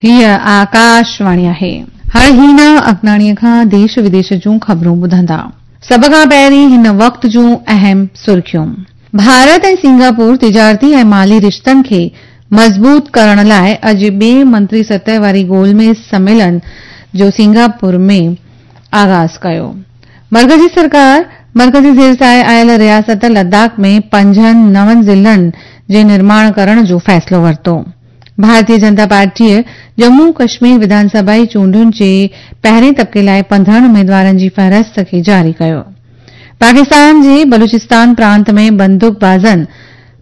هيء آڪاشواڻي آهي. هاڻي هينا اگناڻيء کان ديش وديش جون خبرون ٻڌندا. سڀ کان پهرين هن وقت جون اهم سرخيون. ڀارت ۽ سنگاپور تجارتي ۽ مالي رشتن کي مضبوط ڪرڻ لاء اڄ ٻئي منتري سطح واري گول ميز سميلن جو سنگاپور ۾ آغاز ڪيو. مرڪزي سرڪار مرڪزي زير سايي آيل رياست لداخ ۾ پنجن نون ضلعن جي نرماڻ ڪرڻ جو فيصلو ورتو. ڀارتيه جنتا پارٽيء ڄمون ڪشمير وڌان سڀائي چونڊن جي پهرين طبقي لاء 15 اميدوارن جي فهرست کي جاري ڪيو. پاڪستان جي بلوچستان پرانت ۾ بندوق بازن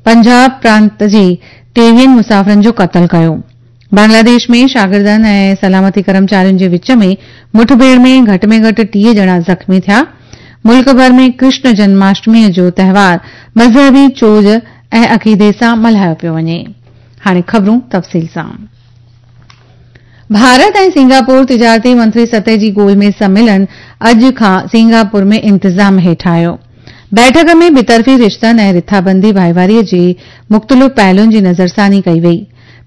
پنجاب پرانت جي ٽيويهن مسافرن جو قتل ڪيو. بنگلاديش ۾ شاگردن ۽ سلامتي ڪرمچارين جي وچ ۾ مٺڀيڙ ۾ گهٽ ۾ گهٽ 30 ڄڻا زخمي ٿيا. ملڪ ڀر ۾ ڪرشن جنماشٽميء جو تهوار مذهبي چوڄ ۽ عقيدي سان ملهايو پيو وڃي. هاڻي خبرون تفصيل سان. ڀارت ۽ سنگاپور تجارتي منتري سطح جي گول ميز سميلن اڄ کان سنگاپور ۾ انتظام هيٺ آيو. بيٺڪ ۾ ٻطرفي رشتن ۽ رٿابندي ڀائيواري جي مختلف پهلوئن جي نظرثاني ڪئي وئي.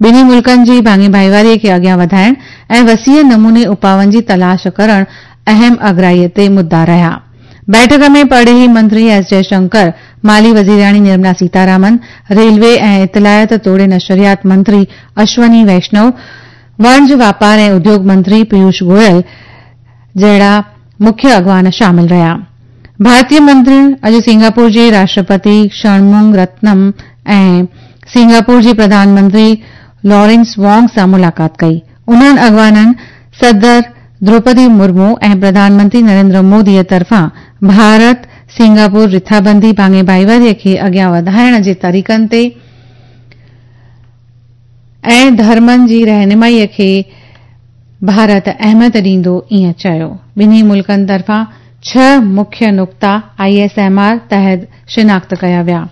ٻنهي ملڪن جي ڀاڱي ڀائيواري کي اڳيان وڌائڻ ۽ وسيع نموني اپاون جي تلاش ڪرڻ اهم اڳرائي تي مدعا رهيا. بيٺڪ ۾ پرڏيهي منتري ايس جئه شنڪر، مالي وزيرياڻي نرملا سيتارامن، ريلوي ۽ اطلاعات توڙي نشريات منتري اشوني ويشنو، وڻج واپار ۽ اديوڳ منتري پيوش گويل جهڙا مکيه اڳواڻ شامل رهيا. ڀارتي منترين اڄ سنگاپور جي راشٽرپتي شڻمونگ رتنم ۽ سنگاپور جي پرڌان منتري لارنس وانگ سان ملاقات ڪئي. انهن اڳواڻن صدر دروپدي مرمو ۽ پرڌان منتري نريندر مودي طرفان ڀارت سنگاپور رٿابندي ڀاڱي ڀائيواري کي اڳيان وڌائڻ جي طريقن تي ۽ ڌرمن جي رهنمائي کي ڀارت اهميت ڏيندو ائين چيو. ٻنهي ملڪن طرفان ڇهه مکيه نقطا I S M R تحت شناخت ڪيا ويا.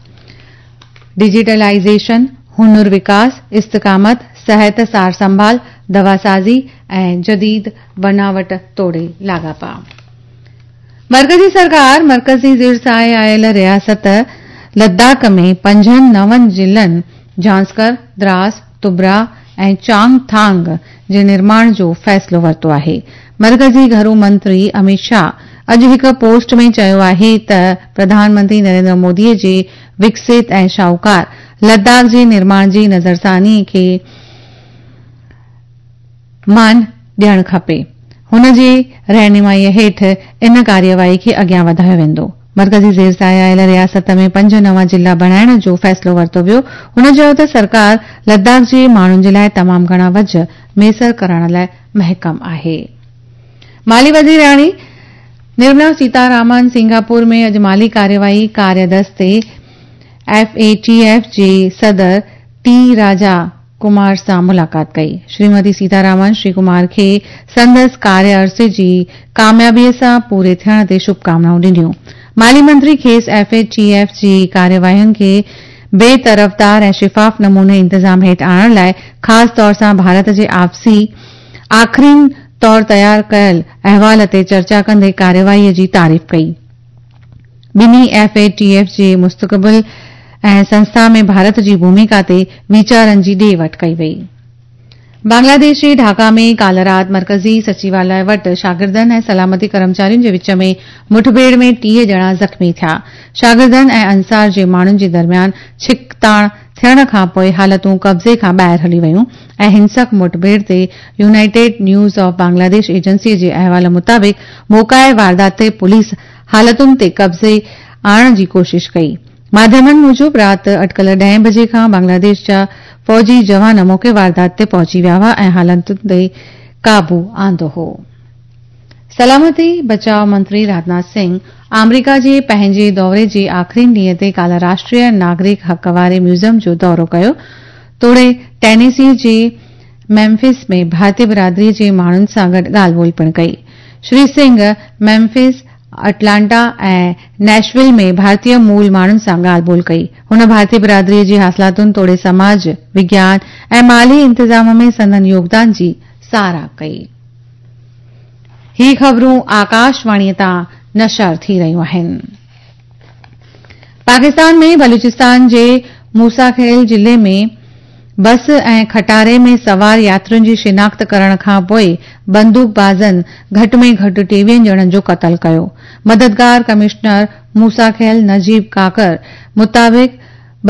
ڊجيٽلائيزيشن، هنر وڪاس، استقامت، صحت سار سنڀال، دواسازي ۽ جديد بناوٽ توڙي لاڳاپا. مرڪزي سرڪار مرڪزي زير سايي آيل رياست لداخ ۾ پنجن نون ضلعن جانسڪر، دراس، تبرا ۽ چانگ ٿانگ جي نرماڻ جو فيصلو ورتو آهي. مرڪزي گهرو منتري اميت شاهه اڄ هڪ پوسٽ ۾ چيو آهي ته پرڌان منتري نريندر مودي جي وڪست ۽ شاهوڪار لداخ جي نرماڻ جي نظرثاني کي مان ڏيڻ کپي. هن جي رهنمائي هيٺ ان ڪارروائي کي اڳيان وڌايو ويندو. مرڪزي زير سايي آيل رياست ۾ پنج نوان ضلعا بڻائڻ جو فيصلو ورتو ويو. هن چيو ته سرڪار لداخ جي ماڻهن جي لاء تمام گهڻا وجهه ميسر ڪرڻ لاء محڪم آهي. مالي وزيرياڻي نرملا سيتارامن سنگاپور ۾ اڄ مالي ڪارروائي ڪاريه دستي، ايف اي ٽي ايف، جي صدر ٽي راجا ڪمار سان ملاقات ڪئي. شريمتي سيتارامن شري ڪمار کي سندس ڪاريه عرصي جي ڪاميابي سان پوري ٿيڻ تي شڀڪامنائون ڏنيون. مالي منتري کيس ايف اي ٽي ايف جي ڪارروائين کي بي طرفدار ۽ شفاف نموني انتظام هيٺ آڻڻ لاء خاص طور سان ڀارت جي آپسي آخرين طور تيار ڪيل احوال تي چرچا ڪندي ڪارروائي جي تعريف ڪئي. ٻنهي ايف اي ٽي ايف جي مستقبل ۽ سنسٿا ۾ ڀارت جي ڀوميڪا تي ويچارن جي ڏي وٺ ڪئي وئي. بنگلاديش جي ڍاڪا ۾ ڪالهه رات مرڪزي سچيواليه وٽ شاگردن ۽ سلامتي ڪرمچارين جي وچ ۾ مٺڀيڙ ۾ 30 ڄڻا زخمي ٿيا. شاگردن ۽ انصار جي ماڻهن جي درميان ڇڪتاڻ ٿيڻ کانپوء حالتون قبضي کان ٻاهر هلي ويون ۽ هنسڪ مٺڀيڙ تي united news of Bangladesh agency جي احوال مطابق موقعي واردات تي پوليس حالتن تي قبضي آڻڻ جي ڪوشش ڪئي. ماڌيمن موجب رات اٽڪل ڏهين بجي کان بنگلاديش جا فوجي جوان موقعي واردات تي پهچي ويا هئا ۽ حالتن تي قابو آندو هو. سلامتي بچاء منتري راجناٿ سنگهه آمريڪا جي پنهنجي دوري جي آخرين ڏينهن تي ڪالهه راشٽريه ناگرڪ حق واري ميوزم جو دورو ڪيو توڙي ٽينيسي جي ميمفس ۾ ڀارتي برادري جي ماڻهن سان گڏ ڳالهه ٻولهه پڻ ڪئي. شري سنگهه ميمفس، اٽلانٽا ۽ نيشول ۾ ڀارتي مول ماڻهن سان ڳالهه ٻولهه ڪئي. هن ڀارتي برادري جي حاصلاتن توڙي سماج، وگيان ۽ مالي انتظام ۾ سندن يوگدان جي ساراهه ڪئي. هي خبرون آڪاشواڻي تان نشر ٿي رهيون آهن. پاڪستان ۾ بلوچستان جي موسيٰ خيل ضلعي ۾ بس ۽ کٽاري ۾ سوار ياترين جي شناخت ڪرڻ کان پوء بندوقبازن گهٽ ۾ گهٽ 23 ڄڻن جو قتل ڪيو. مددگار ڪمشنر موسيٰ خيل نجيب ڪاڪر مطابق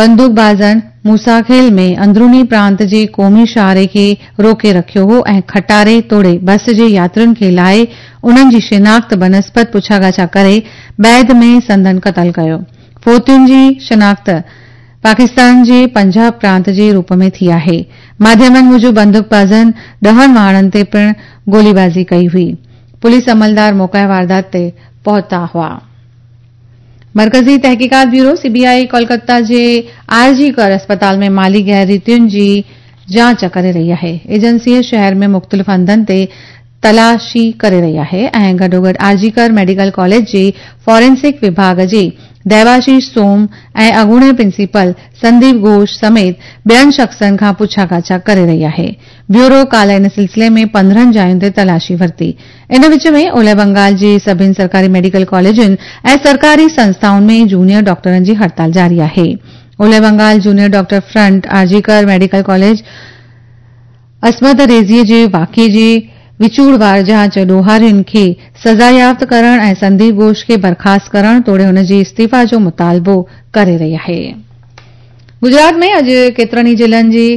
بندوقبازن موسيٰ خيل ۾ اندروني پرانت جي قومي شاهراهه کي روڪي رکيو هو ۽ کٽاري توڙي بس جي ياترين کي لاهي انهن جي شناخت بنسبت پڇاڳاڇا ڪري بعد ۾ سندن قتل ڪيو. فوتين جي شناخت پاڪستان جي پنجاب پرانت جي روپ ۾ ٿي آهي. ماڌيمن موجب بندوقبازن ڏهن واهڻن تي پڻ گوليبازي ڪئي هئي. پوليس عملدار موقعي واردات تي پهتا هئا. مرڪزي تحقيقات بيورو، سي بي آء، ڪولڪتا جي آر جي ڪر اسپتال ۾ مالي غير ريتين جي جاچ ڪري رهي آهي. ايجنسي شهر ۾ مختلف هنڌن تي تلاشي ڪري رهي آهي ۽ گڏوگڏ آر جي ڪر ميڊيڪل ڪاليج جي فارينسڪ وڀاڳ جي ديواشيش سوم ۽ اڳوڻي پرنسپل سنديپ گهوش سميت ٻين شخصن کان پڇا ڳاڇا ڪري رهي آهي. بيورو ڪالهه ان سلسلي ۾ 15 جاين تي تلاشي ورتي. ان وچ ۾ اولهه بنگال جي سڀن سرڪاري ميڊيڪل ڪاليجن ۽ سرڪاري سنسٿائن ۾ جونيئر ڊاڪٽرن جي هڙتال جاري آهي. اولهه Bengal junior doctor front R G Kar medical college عصمت ريزي جي واقعي جي وچوڙوار جاچ، ڏوهارين کي سزا يافت ڪرڻ ۽ سنديپ گهوش کي برخاست ڪرڻ توڙي هن جي استعيفيٰ جو مطالبو ڪري رهي آهي. گجرات ۾ اڄ ڪيترن ئي ضلعن جي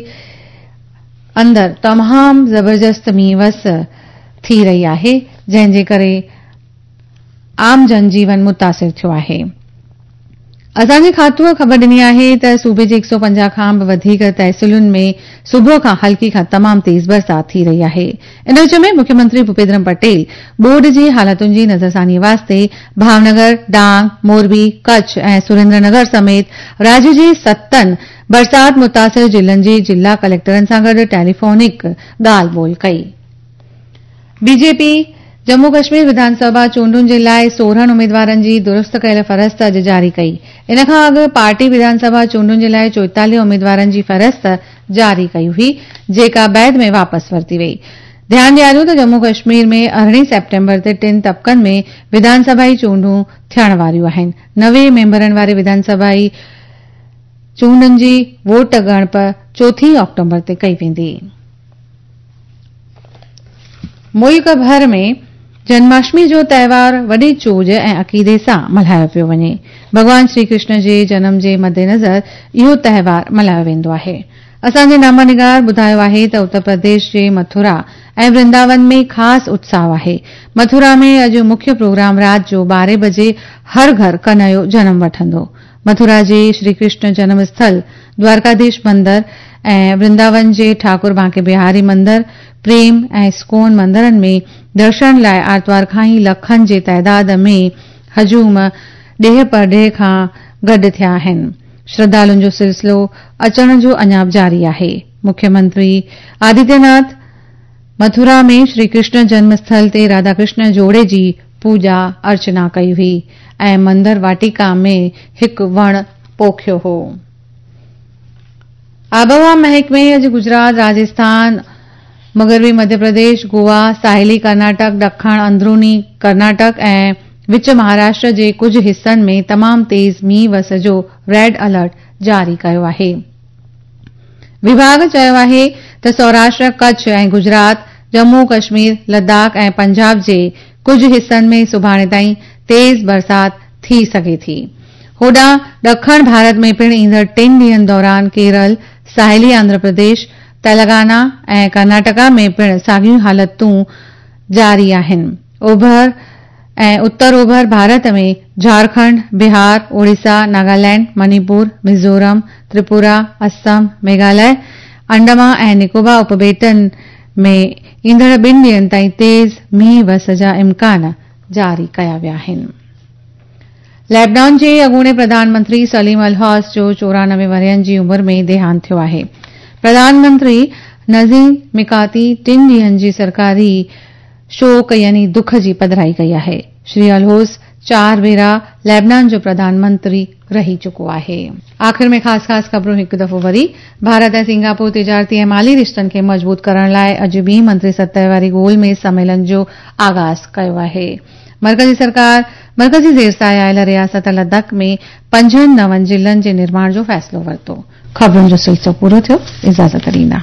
اندر تمام زبردست مينهن وس ٿي رهي آهي، جنهن جي ڪري عام جن جيون متاثر ٿيو آهي. اسان جي کاتوء خبر ڏني آهي ته صوبي جي 150 کان به وڌيڪ تحصيلن ۾ صبح کان هلڪي کان تمام تيز برسات ٿي رهي آهي. ان وچ ۾ مکيه منتري ڀوپيندر پٽيل ٻوڏ جي حالتن جي نظرثاني واسطي ڀاونگر، ڊانگ، موربي، ڪڇ ۽ سريندر نگر سميت راجيه جي ستن برسات متاثر ضلعن جي ضلع ڪليڪٽرن سان گڏ ٽيليفونڪ ڳالهه ٻولهه ڪئي. بي جي پي ڄمون ڪشمير وڌان سڀا چونڊن جي لاء 16 اميدوارن جي درست ڪيل فهرست اڄ جاري ڪئي. ان کان اڳ پارٽي وڌان سڀا چونڊن جي لاء 44 اميدوارن جي فهرست جاري ڪئي هئي، جيڪا بعد ۾ واپس ورتي وئي. ڌيان ڏياريون ته ڄمون ڪشمير ۾ 18 سيپٽمبر تي ٽن طبقن ۾ وڌان سڀائي چونڊون ٿيڻ واريون آهن. 90 ميمبرن واري وڌان سڀائي چونڊن جي ووٽ ڳڻپ چوٿين آڪٽومبر تي ڪئي ويندي. ملڪ ڀر ۾ جنماشٽمي جو تهوار وڏي چوڄ ۽ عقيدي سان ملهايو پيو وڃي. ڀڳوان شري ڪرشن جي جنم جي مدنظر اهو تهوار ملهايو ويندو آهي. اسان جي نامه نگار ٻڌايو آهي ته اتر پرديش جي مٿرا ۽ ورنداون ۾ خاص اتساهه آهي. مٿرا ۾ اڄ مکيه پروگرام رات جو 12 بجي هر گهر ڪنهيو جنم وٺندو. مٿرا جي شري ڪرشن جنم اسٿل، دوارڪاڌيش مندر ۽ ورنداون جي ٺاڪر بانڪي بهاري مندر، پريم ۽ اسڪون مندرن ۾ درشن لاء آرتوار کان ئي لکن جي تعداد ۾ هجوم ڏيهه پرڏيهه کان گڏ ٿيا آهن. شرڌالن جو سلسلو اچڻ جو اڃا به جاري آهي. مکيه منتري آدتيه ناٿ مٿرا ۾ شري ڪرشن جنم اسٿل تي راڌا ڪرشن جوڙي جي پوڄا ارچنا ڪئي هئي ۽ مندر واٽيڪا ۾ هڪ وڻ پوکيو هو. آبهوا محڪمي اڄ گجرات، راجسٿان، مغربي مڌيه پرديش، گوا، ساحلي ڪرناٽڪ، ڏکڻ اندروني ڪرناٽڪ ۽ وچ مهاراشٽر جي ڪجهه حصن ۾ تمام تيز مينهن وس جو ريڊ الرٽ جاري ڪيو آهي. وڀاڳ چيو آهي ته سوراشٽر، ڪڇ ۽ گجرات، ڄمون ڪشمير، لداخ ۽ پنجاب جي ڪجهه حصن ۾ سڀاڻي تائين تيز برسات ٿي سگهي ٿي. هوڏانهن ڏکڻ ڀارت ۾ پڻ ايندڙ ٽن ڏينهن دوران ڪيرل، ساحلي آنڌرا پرديش، تيلنگانا ۽ ڪرناٽڪا ۾ پڻ ساڳيون حالتون جاري آهن. اوڀر ۽ اتر اوڀر ڀارت ۾ جهارکنڊ، بهار، اوڙيسا، ناگالينڊ، منيپور، ميزورم، تريپورا، اسم، ميگهاليه، انڊمان ۽ نڪوبا اپٻيٽن ۾ ايندڙ ٻن ڏينهن تائين تيز مينهن وس جا امڪان جاري ڪيا ويا آهن. ليبنان جي اڳوڻي پرڌان منتري سليم الحوس جو 94 ورهين جي عمر ۾ ديهانت ٿيو آهي. پرڌان منتري نجيب ميڪاتي ٽن ڏينهن جي سرڪاري شوڪ يعني دک جي پڌرائي ڪئي آهي. شري الحوس چار ڀيرا ليبنان جو پرڌان منتري رهي چڪو آهي. آخر ۾ خاص خاص خبرون هڪ دفعو وري، ڀارت ۽ سنگاپور تجارتي ۽ مالي رشتن کي مضبوط ڪرڻ لاء اڄ ٻي منتري سطح واري گول ميز سميلن جو آغاز ڪيو آهي. مرڪزي سرڪار مرڪزي زير سايه آيل رياست لداخ ۾ پنجن نون ضلعن جي نرماڻ جو فيصلو ورتو. خبرن جو سلسلو پورو ٿيو، اجازت ڏيندا.